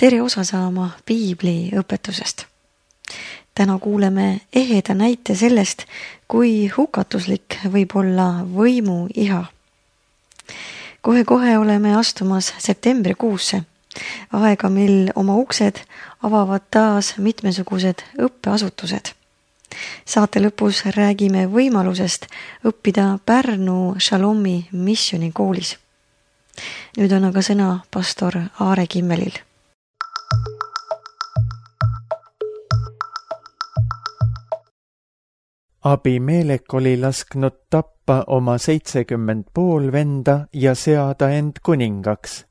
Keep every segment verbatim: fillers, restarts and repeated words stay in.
tere osa saama piibli õpetusest. Täna kuuleme eheda näite sellest, kui hukatuslik võib olla võimu iha. Kohe-kohe oleme astumas septembrikuusse, aega, mil oma uksed avavad taas mitmesugused õppeasutused. Saate lõpus räägime võimalusest õppida Pärnu Shalomi missionikoolis. Nüüd on aga sõna pastor Aare Kimmelil. Abimelek oli lasknud tappa oma seitsekümmend pool venda ja seada end kuningaks.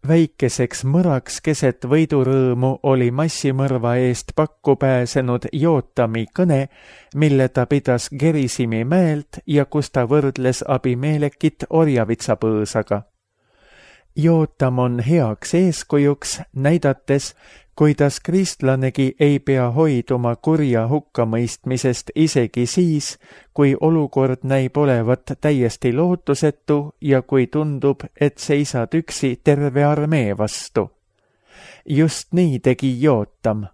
Väikeseks mõraks keset võidurõõmu oli massimõrva eest pakku pääsenud Jootami kõne, mille ta pidas Gerisimi mäelt ja kus ta võrdles Abimelekit orjavitsapõõsaga. Jootam on heaks eeskujuks, näidates, kuidas kristlanegi ei pea hoiduma kurja hukkamõistmisest isegi siis, kui olukord näib olevat täiesti lootusetu ja kui tundub, et seisad üksi terve armee vastu. Just nii tegi Jootam.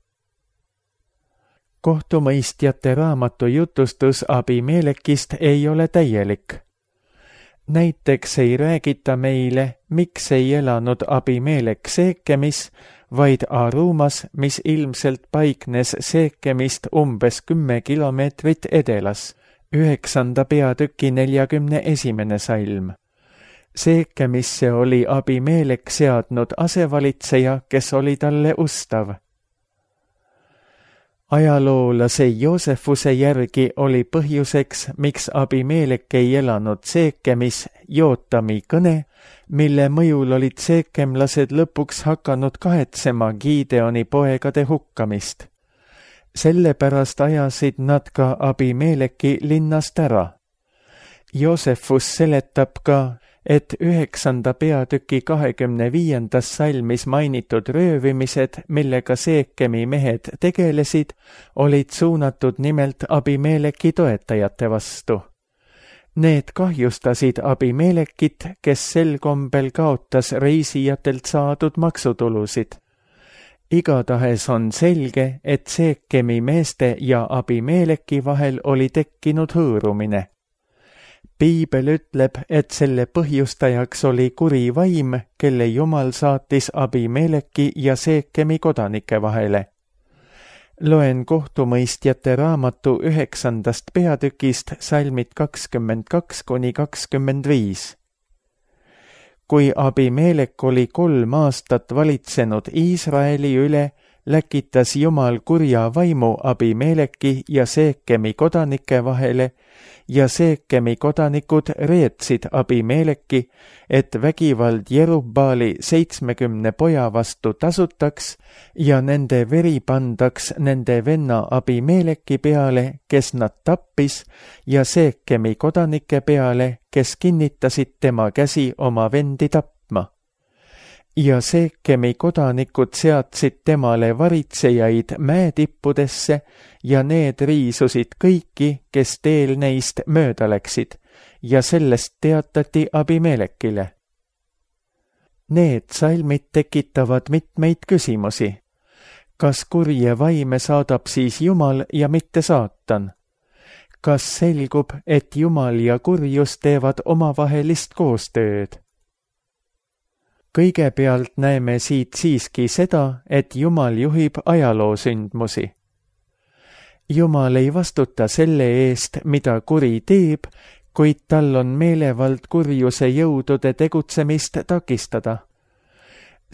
Kohtumõistjate raamatu jutustus Abimelekist ei ole täielik. Näiteks ei räägita meile, miks ei elanud Abimelek Seekemis, vaid Arumas, mis ilmselt paiknes Seekemist umbes kümme kilomeetrit edelas, üheksanda peatüki neljakümne esimene salm. Seekemisse oli Abimelek seadnud asevalitseja, kes oli talle ustav. Ajaloolase Joosefuse järgi oli põhjuseks, miks Abimelek ei elanud Seekemis, Jootami kõne, mille mõjul olid seekemlased lõpuks hakanud kahetsema Gideoni poegade hukkamist. Sellepärast ajasid nad ka Abimeleki linnast ära. Joosefus seletab ka, et üheksanda peatüki kahekümne viiendas salmis mainitud röövimised, millega Seekemi mehed tegelesid, olid suunatud nimelt Abimeleki toetajate vastu. Need kahjustasid Abimelekit, kes sel kombel kaotas reisijatelt saadud maksutulusid. Igatahes on selge, et Seekemi meeste ja Abimeleki vahel oli tekkinud hõõrumine. Piibel ütleb, et selle põhjustajaks oli kuri vaim, kelle Jumal saatis Abimeleki ja Seekemi kodanike vahele. Loen kohtumõistjate raamatu üheksandast peatükist salmid kakskümmend kaks kuni kakskümmend viis. Kui Abimelek oli kolm aastat valitsenud Iisraeli üle, läkitas Jumal kurja vaimu Abimeleki ja Seekemi kodanike vahele ja Seekemi kodanikud reetsid Abimeleki, et vägivald Jerubbaali seitsmekümne poja vastu tasutaks ja nende veri pandaks nende venna Abimeleki peale, kes nad tappis, ja Seekemi kodanike peale, kes kinnitasid tema käsi oma vendi tapma. Ja Seekemi kodanikud seadsid temale varitsejaid mäetippudesse ja need riisusid kõiki, kes teel neist mööda läksid, ja sellest teatati Abimelekile. Need salmid tekitavad mitmeid küsimusi. Kas kurje vaime saadab siis Jumal ja mitte saatan? Kas selgub, et Jumal ja kurjus teevad omavahelist koostööd? Kõigepealt näeme siit siiski seda, et Jumal juhib ajaloosündmusi. Jumal ei vastuta selle eest, mida kuri teeb, kuid tal on meelevald kurjuse jõudude tegutsemist takistada.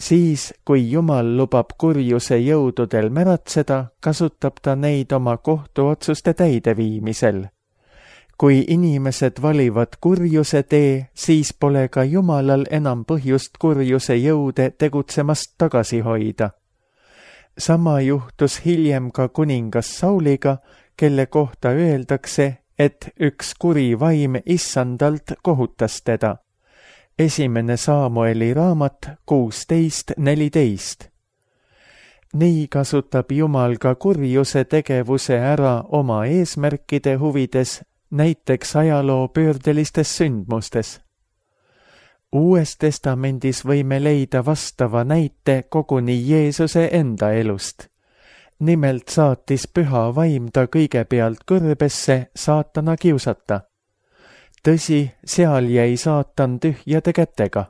Siis, kui Jumal lubab kurjuse jõududel märatseda, kasutab ta neid oma kohtuotsuste täideviimisel. Kui inimesed valivad kurjuse tee, siis pole ka Jumalal enam põhjust kurjuse jõude tegutsemast tagasi hoida. Sama juhtus hiljem ka kuningas Sauliga, kelle kohta öeldakse, et üks kuri vaim issandalt kohutas teda. Esimene Saamueli raamat kuusteist neliteist. Nii kasutab Jumal ka kurjuse tegevuse ära oma eesmärkide huvides, näiteks ajaloo pöördelistes sündmustes. Uues testamendis võime leida vastava näite koguni Jeesuse enda elust. Nimelt saatis püha vaim ta kõigepealt kõrbesse saatana kiusata. Tõsi, seal jäi saatan tühjade kätega.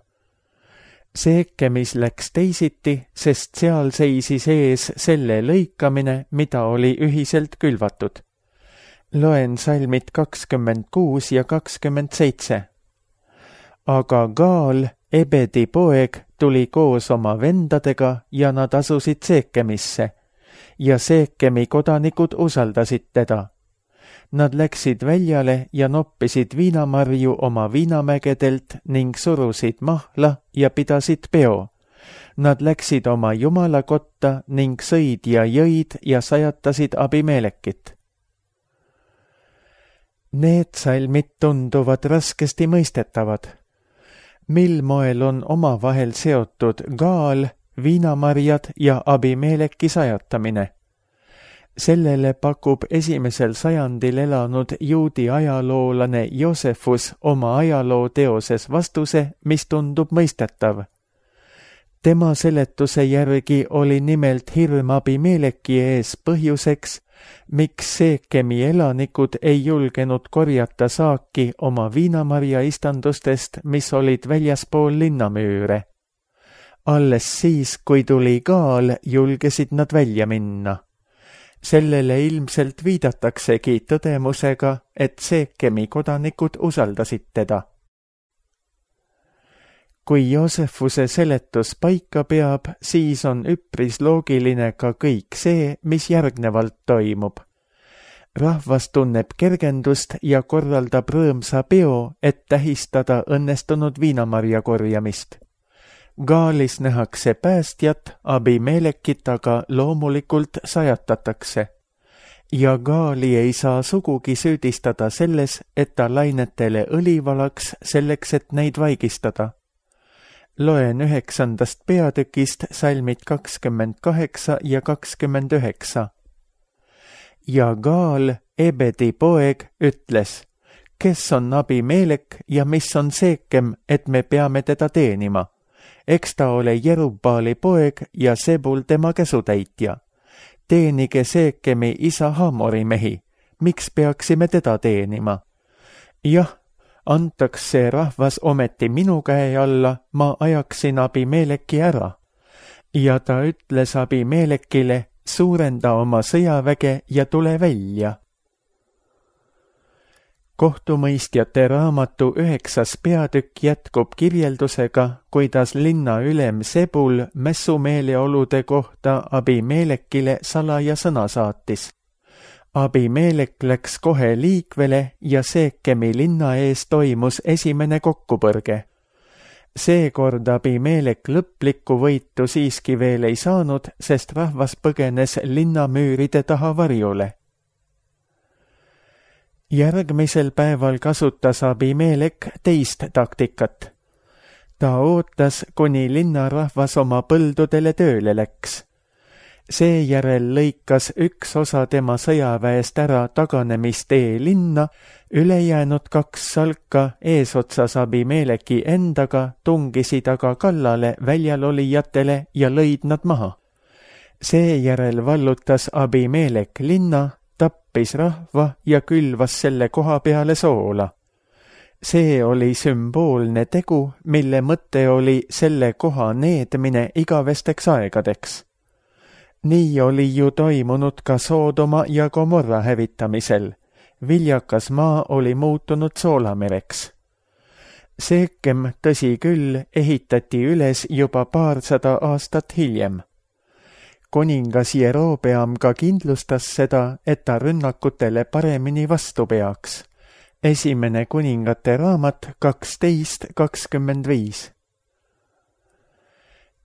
Seekemis läks teisiti, sest seal seisis ees selle lõikamine, mida oli ühiselt külvatud. Loen salmid kakskümmend kuus ja kakskümmend seitse. Aga Gaal, Ebedi poeg, tuli koos oma vendadega ja nad asusid Seekemisse ja Seekemi kodanikud usaldasid teda. Nad läksid väljale ja noppisid viinamarju oma viinamägedelt ning surusid mahla ja pidasid peo. Nad läksid oma jumala kotta ning sõid ja jõid ja sajatasid Abimelekit. Need salmid tunduvad raskesti mõistetavad. Mil moel on omavahel seotud Gaal, viinamarjad ja Abimeleki sajatamine? Sellele pakub esimesel sajandil elanud juudi ajaloolane Joosefus oma ajaloo teoses vastuse, mis tundub mõistetav. Tema seletuse järgi oli nimelt hirm Abimeleki ees põhjuseks, miks Seekemi elanikud ei julgenud korjata saaki oma viinamarja istandustest, mis olid väljaspool linnamüüre. Alles siis, kui tuli Gaal, julgesid nad välja minna. Sellele ilmselt viidataksegi tõdemusega, et Seekemi kodanikud usaldasid teda. Kui Joosefuse seletus paika peab, siis on üpris loogiline ka kõik see, mis järgnevalt toimub. Rahvas tunneb kergendust ja korraldab rõõmsa peo, et tähistada õnnestunud viinamarja korjamist. Gaalis nähakse päästjat, Abimelekit aga loomulikult sajatatakse. Ja Gaali ei saa sugugi süüdistada selles, et ta lainetele õli valaks selleks, et neid vaigistada. Loen üheksandast peatükist salmid kakskümmend kaheksa ja kakskümmend üheksa. Ja Gaal, Ebedi poeg, ütles, kes on Abimelek ja mis on Seekem, et me peame teda teenima? Eks ta ole Jerubbaali poeg ja Sebul tema käsutäitja. Teenige Seekemi isa Hamori mehi. Miks peaksime teda teenima? Jah, antaks see rahvas ometi minu käe alla, ma ajaksin Abimeleki ära. Ja ta ütles Abimelekile, suurenda oma sõjaväge ja tule välja. Kohtumõistjate raamatu üheksas peatükk jätkub kirjeldusega, kuidas linna ülem Sebul mässumeeleolude kohta Abimelekile salaja sõna saatis. Abimelek läks kohe liikvele ja Seekemi linna ees toimus esimene kokkupõrge. Seekord Abimelek lõplikku võitu siiski veel ei saanud, sest rahvas põgenes linnamüüride taha varjule. Järgmisel päeval kasutas Abimelek teist taktikat. Ta ootas, kuni linnarahvas oma põldudele tööle läks. Seejärel lõikas üks osa tema sõjaväest ära taganemistee linna, ülejäänud kaks salka eesotsas Abimeleki endaga tungisid aga kallale väljalolijatele ja lõid nad maha. Seejärel vallutas Abimelek linna, tappis rahva ja külvas selle koha peale soola. See oli sümboolne tegu, mille mõte oli selle koha needmine igavesteks aegadeks. Nii oli ju toimunud ka Soodoma ja Gomorra hävitamisel. Viljakas maa oli muutunud soolamereks. Seekem, tõsi küll, ehitati üles juba paarsada aastat hiljem. Kuningas Jerobeam ka kindlustas seda, et ta rünnakutele paremini vastu peaks. Esimene kuningate raamat kaksteist kakskümmend viis.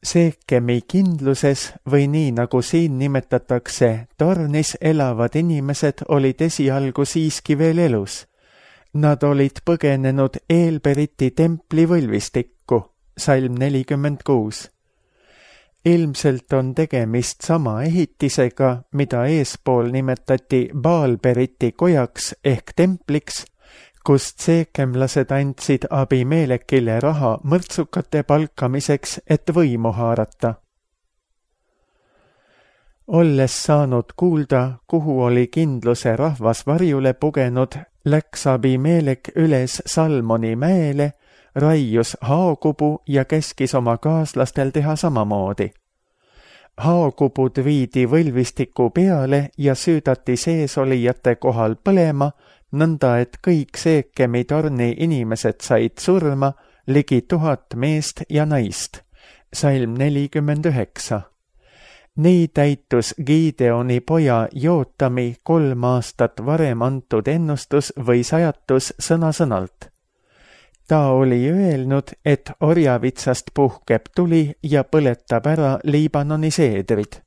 Seekemi kindluses või nii nagu siin nimetatakse, tornis elavad inimesed olid esialgu siiski veel elus. Nad olid põgenenud Eelberiti templi võlvistikku, salm nelikümmend kuus. Ilmselt on tegemist sama ehitisega, mida eespool nimetati Baalberiti kojaks ehk templiks, kust seekemlased andsid Abimelekile raha mõrtsukate palkamiseks, et võimu haarata. Olles saanud kuulda, kuhu oli kindluse rahvas varjule pugenud, läks Abimelek üles Salmoni mäele, raius haokubu ja käskis oma kaaslastel teha samamoodi. Haokubud viidi võlvistiku peale ja süüdati seesolijate kohal põlema, nõnda et kõik Seekemi torni inimesed said surma, ligi tuhat meest ja naist. Salm nelikümmend üheksa. Nii täitus Gideoni poja Jootami kolm aastat varem antud ennustus või sajatus sõna-sõnalt. Ta oli öelnud, et orjavitsast puhkeb tuli ja põletab ära Liibanoni seedrid.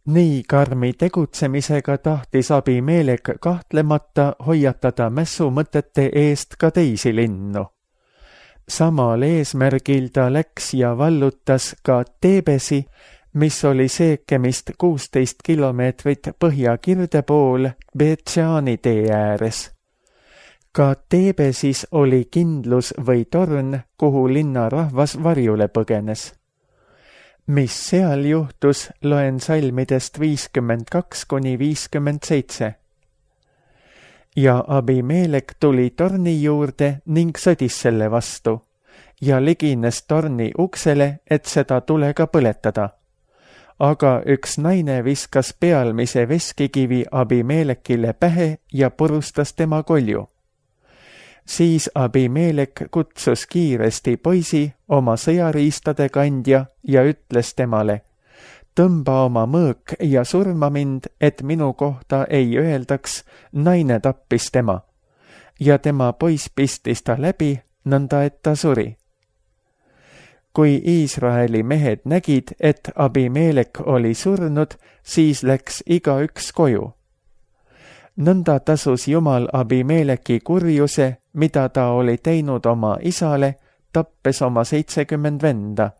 Nii karmi tegutsemisega tahtis Abimelek kahtlemata hoiatada mässumõtete eest ka teisi linnu. Samal eesmärgil ta läks ja vallutas ka Tebesi, mis oli Seekemist kuusteist kilomeetrit põhjakirde pool Betšaani tee ääres. Ka Tebesis oli kindlus või torn, kuhu linna rahvas varjule põgenes. Mis seal juhtus, loen salmidest viiskümmend kaks kuni viiskümmend seitse. Ja Abimelek tuli torni juurde ning sõdis selle vastu ja ligines torni uksele, et seda tulega põletada. Aga üks naine viskas pealmise veskikivi Abimelekile pähe ja purustas tema kolju. Siis Abimelek kutsus kiiresti poisi, oma sõjariistade kandja, ja ütles temale: tõmba oma mõõk ja surma mind, et minu kohta ei öeldaks, naine tappis tema. Ja tema poiss pistis ta läbi, nõnda et ta suri. Kui Iisraeli mehed nägid, et Abimelek oli surnud, siis läks igaüks koju. Nõnda tasus Jumal Abimeleki kurjuse, mida ta oli teinud oma isale, tappes oma seitsekümmend venda.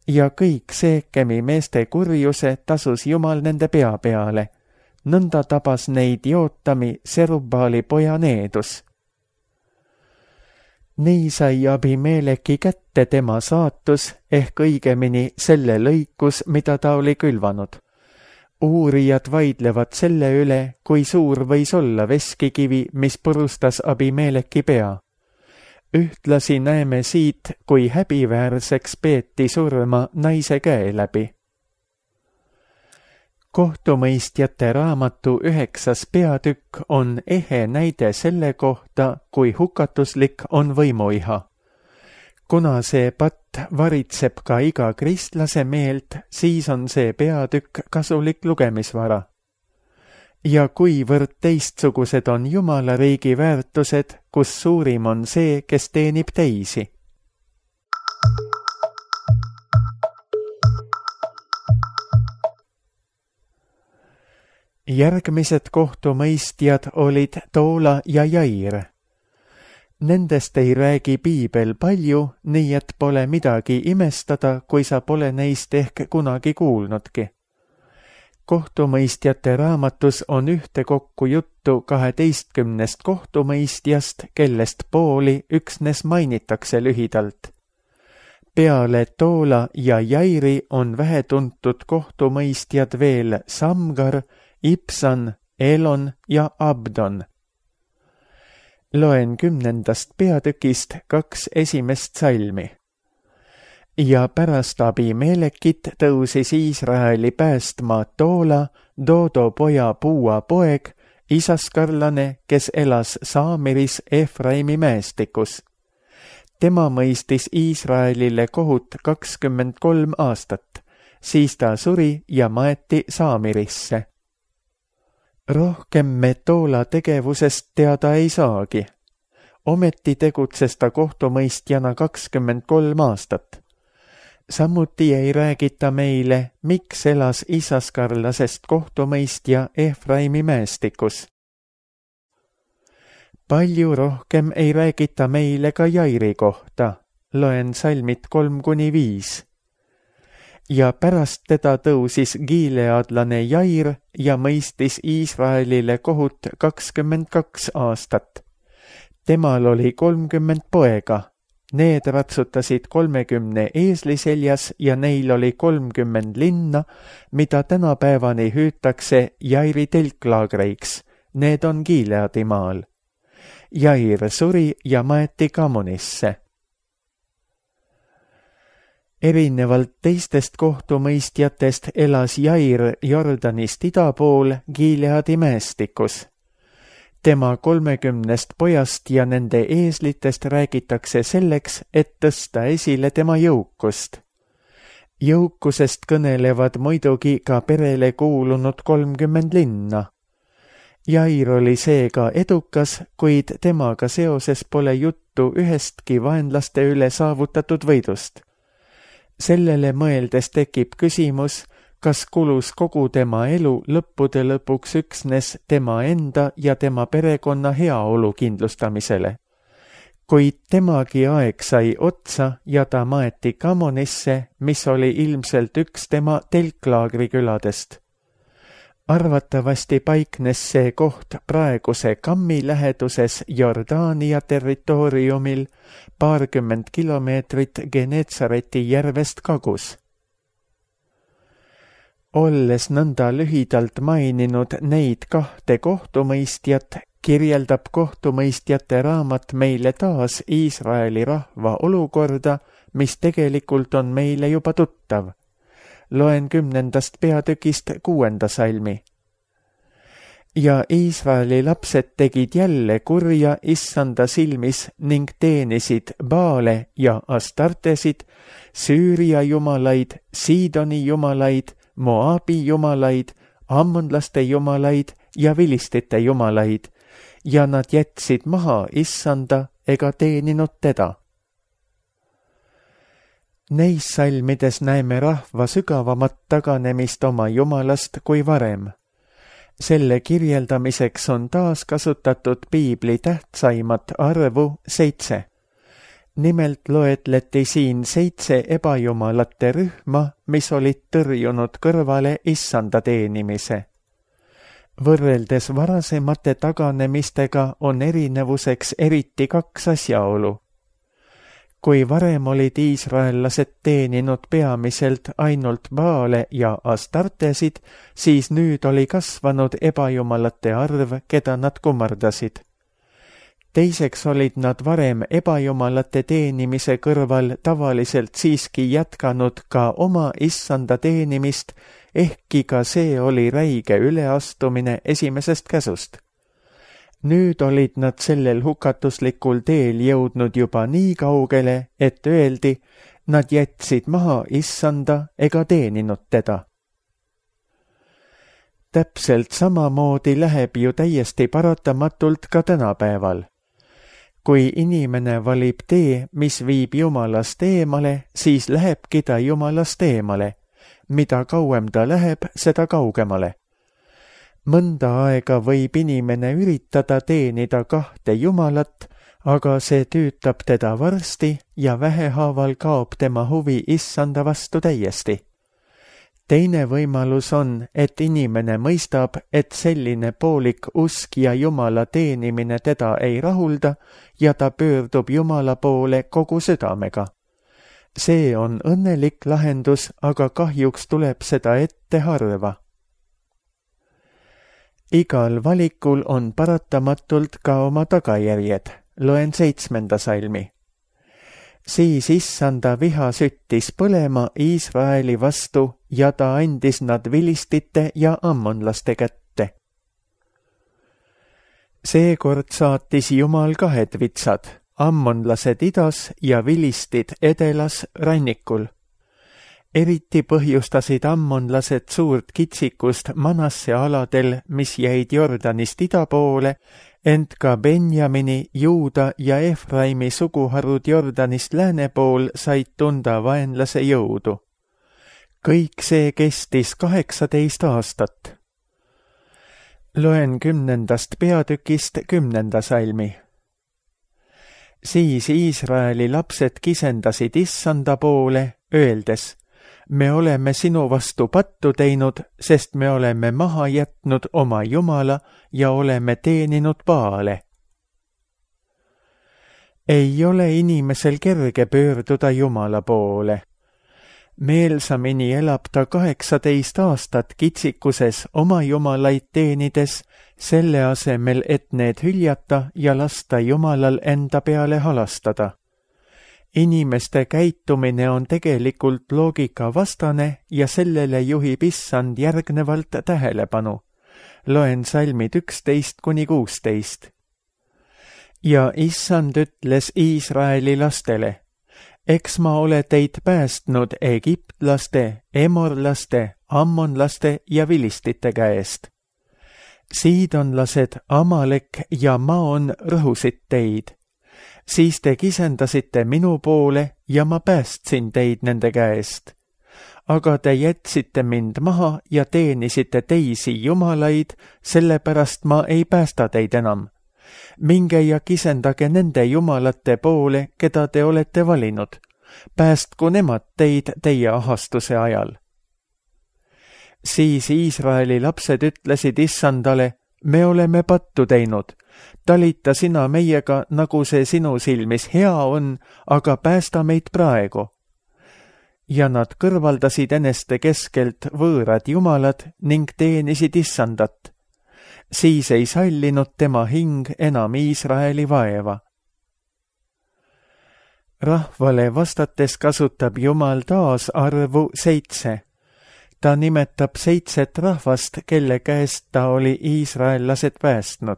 Ja kõik Seekemi meeste kurjuse tasus Jumal nende pea peale. Nõnda tabas neid Jootami, Serubbaali poja Needus. Nii sai Abimeleki kätte tema saatus, ehk õigemini selle lõikus, mida ta oli külvanud. Uurijad vaidlevad selle üle, kui suur võis olla veskikivi, mis purustas Abimeleki pea. Ühtlasi näeme siit, kui häbiväärseks peeti surma naise käe läbi. Kohtumõistjate raamatu üheksas peatükk on ehe näide selle kohta, kui hukatuslik on võimuiha. Kuna see patt varitseb ka iga kristlase meelt, siis on see peatükk kasulik lugemisvara. Ja kuivõrd teistsugused on Jumala riigi väärtused, kus suurim on see, kes teenib teisi. Järgmised kohtumõistjad olid Toola ja Jair. Nendest ei räägi piibel palju, nii et pole midagi imestada, kui sa pole neist ehk kunagi kuulnudki. Kohtumõistjate raamatus on ühtekokku juttu kaheteistkümnest kohtumõistjast, kellest pooli üksnes mainitakse lühidalt. Peale Toola ja Jairi on vähetuntud kohtumõistjad veel Samgar, Ipsan, Elon ja Abdon. Loen kümnendast peatükist kaks esimest salmi. Ja pärast Abimelekit tõusis Iisraeli päästma Toola, Dodo poja Puua poeg, isaskarlane, kes elas Saamiris Efraimi mäestikus. Tema mõistis Iisraelile kohut kakskümmend kolm aastat, siis ta suri ja maeti Saamirisse. Rohkem me Toola tegevusest teada ei saagi. Ometi tegutses ta kohtumõistjana kakskümmend kolm aastat. Samuti ei räägita meile, miks elas isaskarlasest kohtumõistja Efraimi mäestikus. Palju rohkem ei räägita meile ka Jairi kohta. Loen salmid kolm kuni viis. ja pärast teda tõusis giileadlane Jair ja mõistis Iisraelile kohut kakskümmend kaks aastat. Temal oli kolmkümmend poega. Need ratsutasid kolmekümne eesli seljas ja neil oli kolmkümmend linna, mida tänapäevani hüütakse Jairi telklaagreiks. Need on Gileadi maal. Jair suri ja maeti Kamonisse. Erinevalt teistest kohtumõistjatest elas Jair Jordanist ida pool Gileadi mäestikus. Tema kolmekümnest pojast ja nende eeslitest räägitakse selleks, et tõsta esile tema jõukust. Jõukusest kõnelevad muidugi ka perele kuulunud kolmkümmend linna. Jair oli seega edukas, kuid temaga seoses pole juttu ühestki vaenlaste üle saavutatud võidust. Sellele mõeldes tekib küsimus, kas kulus kogu tema elu lõppude lõpuks üksnes tema enda ja tema perekonna heaolu kindlustamisele. Kuid temagi aeg sai otsa ja ta maeti Kamonisse, mis oli ilmselt üks tema telklaagri küladest. Arvatavasti paiknes see koht praeguse Kammi läheduses Jordaania territooriumil paarkümmend kilomeetrit Genetsareti järvest kagus. Olles nõnda lühidalt maininud neid kahte kohtumõistjat, kirjeldab kohtumõistjate raamat meile taas Iisraeli rahva olukorda, mis tegelikult on meile juba tuttav. Loen kümnendast peatükist kuuenda salmi. Ja Iisraeli lapsed tegid jälle kurja issanda silmis ning teenisid Baale ja Astartesid, Süüria jumalaid, Siidoni jumalaid, Moabi jumalaid, ammonlaste jumalaid ja vilistite jumalaid, ja nad jätsid maha issanda ega teeninud teda. Neis salmides näeme rahva sügavamat taganemist oma jumalast kui varem. Selle kirjeldamiseks on taas kasutatud piibli tähtsaimat arvu seitse. Nimelt loetleti siin seitse ebajumalate rühma, mis olid tõrjunud kõrvale issanda teenimise. Võrreldes varasemate taganemistega on erinevuseks eriti kaks asjaolu. Kui varem olid iisraellased teeninud peamiselt ainult Baale ja Astartesid, siis nüüd oli kasvanud ebajumalate arv, keda nad kummardasid. Teiseks olid nad varem ebajumalate teenimise kõrval tavaliselt siiski jätkanud ka oma issanda teenimist, ehkki ka see oli räige üleastumine esimesest käsust. Nüüd olid nad sellel hukatuslikul teel jõudnud juba nii kaugele, et öeldi, nad jätsid maha issanda ega teeninud teda. Täpselt samamoodi läheb ju täiesti paratamatult ka tänapäeval. Kui inimene valib tee, mis viib Jumalast eemale, siis lähebki ta Jumalast eemale. Mida kauem ta läheb, seda kaugemale. Mõnda aega võib inimene üritada teenida kahte Jumalat, aga see tüütab teda varsti ja vähehaaval kaob tema huvi issanda vastu täiesti. Teine võimalus on, et inimene mõistab, et selline poolik usk ja Jumala teenimine teda ei rahulda ja ta pöördub Jumala poole kogu südamega. See on õnnelik lahendus, aga kahjuks tuleb seda ette harva. Igal valikul on paratamatult ka oma tagajärjed. Loen seitsmenda salmi. Siis issanda viha süttis põlema Iisraeli vastu ja ta andis nad vilistite ja ammonlaste kätte. Seekord saatis Jumal kahed vitsad, ammonlased idas ja vilistid edelas rannikul. Eriti põhjustasid ammonlased suurt kitsikust Manasse aladel, mis jäid Jordanist ida poole, ent ka Benjamini, Juuda ja Efraimi suguharud Jordanist lääne pool said tunda vaenlase jõudu. Kõik see kestis kaheksateist aastat. Loen kümnendast peatükist kümnenda salmi. Siis Iisraeli lapsed kisendasid issanda poole, öeldes, me oleme sinu vastu pattu teinud, sest me oleme maha jätnud oma Jumala ja oleme teeninud Baale. Ei ole inimesel kerge pöörduda Jumala poole. Meelsamini elab ta kaheksateist aastat kitsikuses oma jumalaid teenides, selle asemel, et need hüljata ja lasta Jumalal enda peale halastada. Inimeste käitumine on tegelikult loogika vastane ja sellele juhib Issand järgnevalt tähelepanu. Loen salmid üksteist kuni kuusteist. Ja Issand ütles Iisraeli lastele, eks ma ole teid päästnud egiptlaste, emorlaste, ammonlaste ja vilistite käest. Siidonlased, Amalek ja Maon rõhusid teid. Siis te kisendasite minu poole ja ma päästsin teid nende käest. Aga te jätsite mind maha ja teenisite teisi jumalaid, sellepärast ma ei päästa teid enam. Minge ja kisendage nende jumalate poole, keda te olete valinud. Päästku nemad teid teie ahastuse ajal. Siis Iisraeli lapsed ütlesid Issandale, me oleme pattu teinud. Talita sina meiega, nagu see sinu silmis hea on, aga päästa meid praegu. Ja nad kõrvaldasid eneste keskelt võõrad jumalad ning teenisid Issandat. Siis ei sallinud tema hing enam Iisraeli vaeva. Rahvale vastates kasutab Jumal taas arvu seitse. Ta nimetab seitset rahvast, kelle käest ta oli iisraellased päästnud.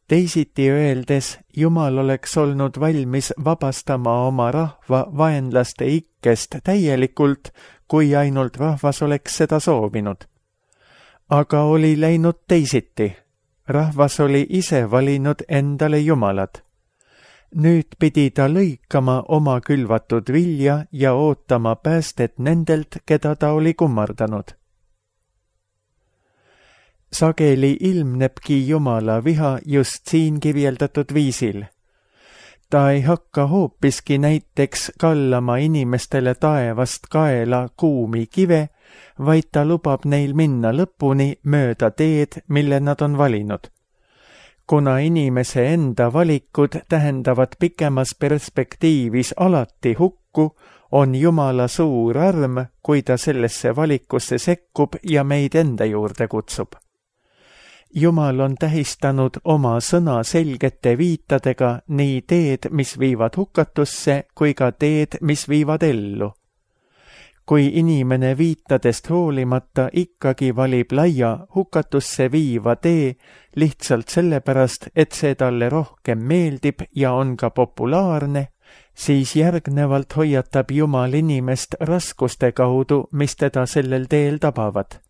Teisiti öeldes, Jumal oleks olnud valmis vabastama oma rahva vaenlaste ikkest täielikult, kui ainult rahvas oleks seda soovinud. Aga oli läinud teisiti. Rahvas oli ise valinud endale jumalad. Nüüd pidi ta lõikama oma külvatud vilja ja ootama päästet nendelt, keda ta oli kummardanud. Sageli ilmnebki Jumala viha just siin kirjeldatud viisil. Ta ei hakka hoopiski näiteks kallama inimestele taevast kaela kuumi kive, vaid ta lubab neil minna lõpuni mööda teed, mille nad on valinud. Kuna inimese enda valikud tähendavad pikemas perspektiivis alati hukku, on Jumala suur arm, kui ta sellesse valikusse sekkub ja meid enda juurde kutsub. Jumal on tähistanud oma sõna selgete viitadega nii teed, mis viivad hukatusse, kui ka teed, mis viivad ellu. Kui inimene viitadest hoolimata ikkagi valib laia hukatusse viiva tee lihtsalt sellepärast, et see talle rohkem meeldib ja on ka populaarne, siis järgnevalt hoiatab Jumal inimest raskuste kaudu, mis teda sellel teel tabavad.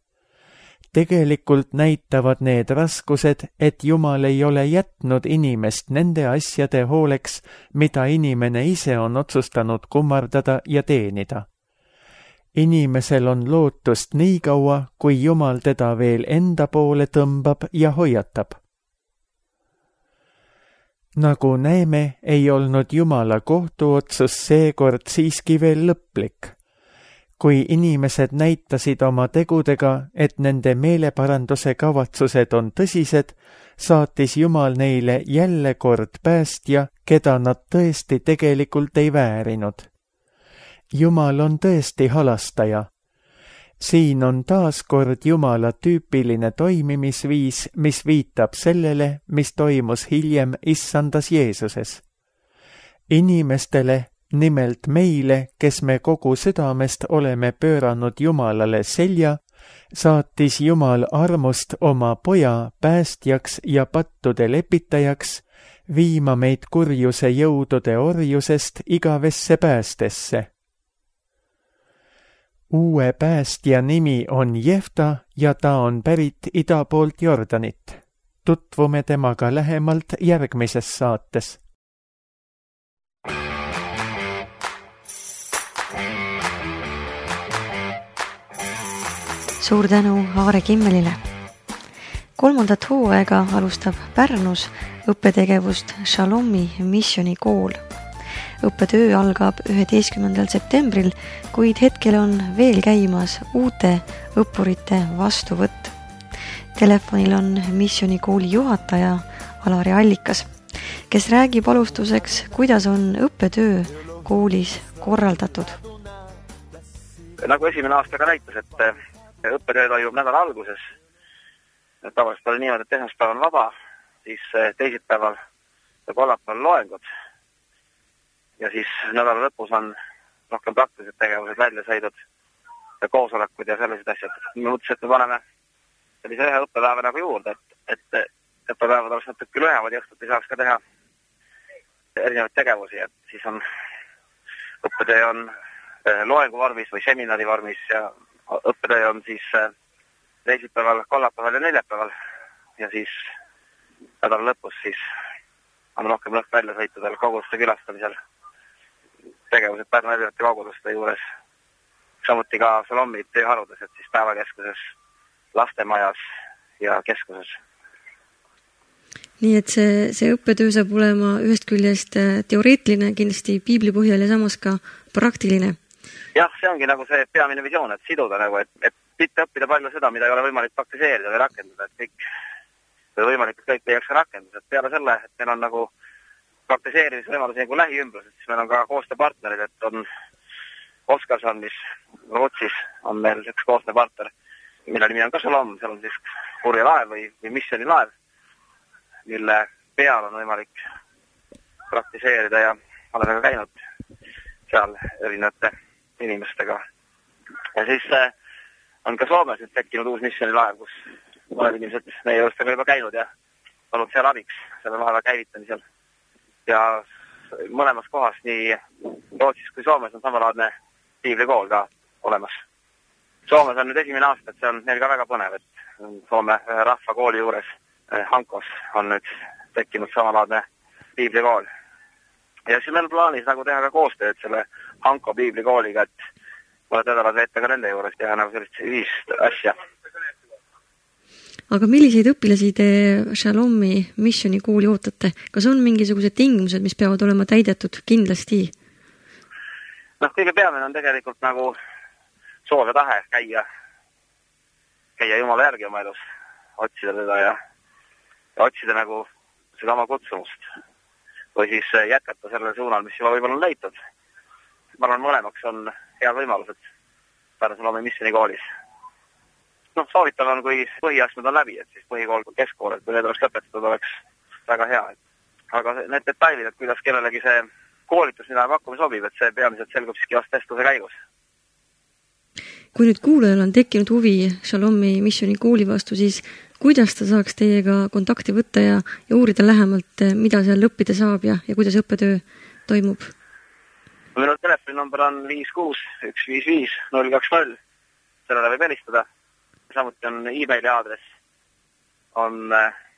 Tegelikult näitavad need raskused, et Jumal ei ole jätnud inimest nende asjade hooleks, mida inimene ise on otsustanud kummardada ja teenida. Inimesel on lootust nii kaua, kui Jumal teda veel enda poole tõmbab ja hoiatab. Nagu näeme, ei olnud Jumala kohtuotsus seekord siiski veel lõplik. Kui inimesed näitasid oma tegudega, et nende meeleparanduse kavatsused on tõsised, saatis Jumal neile jälle kord päästja, keda nad tõesti tegelikult ei väärinud. Jumal on tõesti halastaja. Siin on taas kord Jumala tüüpiline toimimisviis, mis viitab sellele, mis toimus hiljem Issandas Jeesuses. Inimestele, nimelt meile, kes me kogu südamest oleme pööranud Jumalale selja, saatis Jumal armust oma poja päästjaks ja pattude lepitajaks, viima meid kurjuse jõudude orjusest igavesse päästesse. Uue päästja nimi on Jefta ja ta on pärit ida poolt Jordanit. Tutvume temaga lähemalt järgmises saates. Suur tänu Aare Kimmelile. Kolmandat hooaega alustab Pärnus õppetegevust Shalomi missionikool. õppetöö algab üheteistkümnendal septembril, kuid hetkel on veel käimas uute õppurite vastuvõtt. Telefonil on missioonikooli juhataja Alari Allikas, kes räägib alustuseks, kuidas on õppetöö koolis korraldatud. Nagu esimene aasta ka näitas, et õppetöö toimub nädala alguses. Tavaliselt oli niimoodi, et esmaspäeval on vaba, siis teisipäeval ja kolmapäeval loengud. Ja siis nädala lõpus on rohkem praktilised tegevused, väljasõidud ja koosolekud ja sellised asjad. Me mõtlesin, et me paneme sellise ühe õppepäeva nagu juurde, et, et õppepäevad oleks natuke lühemad ja õhtuti saaks ka teha erinevaid tegevusi. Et siis on õppetöö on loengu vormis või seminari vormis ja õppetöö on siis teisipäeval, kolmapäeval ja neljapäeval ja siis nädala lõpus siis on rohkem lõhk väljasõitudel, koguduste külastamisel, tegevused Pärnu erinevate koguduste juures, samuti ka Salomi tööharudes, et siis päevakeskuses, lastemajas ja keskuses. Nii et see, see õppetöö saab olema ühest küljest teoreetiline, kindlasti piibli põhjal ja samas ka praktiline. Jah, see ongi nagu see peamine visioon, et siduda nagu, et, et mitte õppida palju seda, mida ei ole võimalik praktiseerida või rakendada, et kõik või võimalikult kõik leiaks ka rakendus. Et peale selle, et meil on nagu praktiseerimisvõimalusi nagu lähiümbruses, siis meil on ka koostööpartnerid, et on Oskarson, mis Rootsis on meil üks koostööpartner, mille nimi on ka Salom, seal on siis kurja laev või, või missiooni laev, mille peal on võimalik praktiseerida ja oleme ka käinud seal erinevate inimestega. Ja siis on ka Soomes nüüd tekkinud uus missiooni laev, kus mõned inimesed meie juurestega juba käinud ja olnud seal abiks selle laeva käivitamisel. Ja mõlemas kohas, nii Rootsis kui Soomes, on samalaadne piiblikool ka olemas. Soomes on nüüd esimene aasta, et see on neil ka väga põnev, et Soome rahvakooli juures Hankos on nüüd tekkinud samalaadne piiblikool. Ja siis meil on plaanis nagu teha ka koostööd selle Hanko piiblikooliga, et mõned nädalad veeta ka nende juures ja nagu sellist ühist asja. Aga milliseid õpilasi te Shalomi missioonikooli ootate? Kas on mingisugused tingimused, mis peavad olema täidetud kindlasti? Noh, kõige peamine on tegelikult nagu soov ja tahe käia, käia Jumala järgi oma elus, otsida teda ja, ja otsida nagu seda oma kutsumust või siis jätkata sellel suunal, mis juba võib-olla on leitud. Ma arvan, mõlemaks on head võimalused Pärnu Salomi missionikoolis. Noh, soovitav on, kui põhiastmed on läbi, et siis põhikool kui keskkool, et kui need oleks lõpetatud, oleks väga hea. Aga need detailid, et kuidas kellelegi see koolitus, mida pakkuma sobib, et see peamiselt selgub siiski vast testluse käigus. Kui nüüd kuulajal on tekkinud huvi Shalomi missioonikooli vastu, siis kuidas ta saaks teiega kontakti võtta ja, ja uurida lähemalt, mida seal õppida saab ja, ja kuidas õppetöö toimub? Minu telefoninumber on viis kuus üks viis viis null kaks null. Sellele võib helistada. Samuti on e-maili aadress on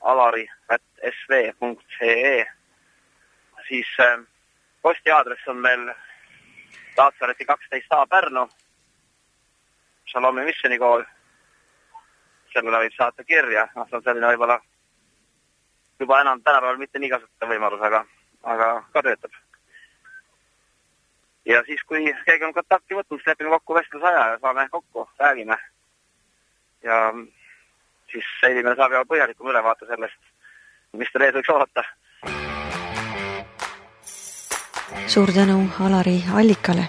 alari at s v punkt e e. Siis posti aadress on meil Taatsareti kaksteist A Pärnu, Shalomi missionikool. Sellele võib saata kirja. No, see on selline võib-olla juba enam tänapäeval mitte nii kasutada võimalus, aga, aga ka töötab. Ja siis, kui keegi on kontakti võtnud, siis lepime kokku vestlusaja ja saame kokku, räägime. Ja siis inimene saab juba põhjalikum ülevaate sellest, mis ta ees võiks oodata. Suur tänu Alari Allikale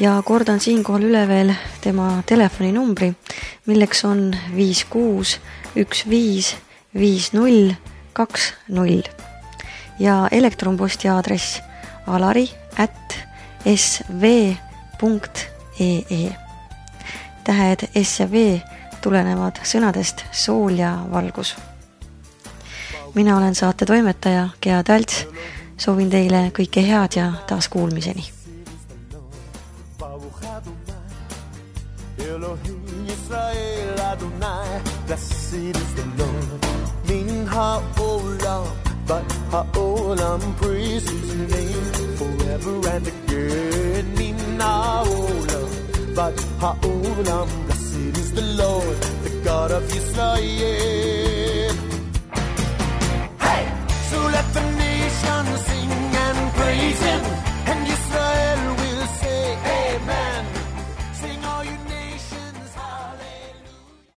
ja kordan siinkohal üle veel tema telefoninumbri, milleks on viis kuus üks viis viis null kaks null ja elektronposti aadress alari at s v punkt e e. Tähed S ja V tulenevad sõnadest sool ja valgus. Mina olen saate toimetaja Gea Talts. Soovin teile kõike head ja taas kuulmiseni. But ha'olam praise his name forever and again. Nina olam, but ha'olam, blessed is the Lord, the God of Israel.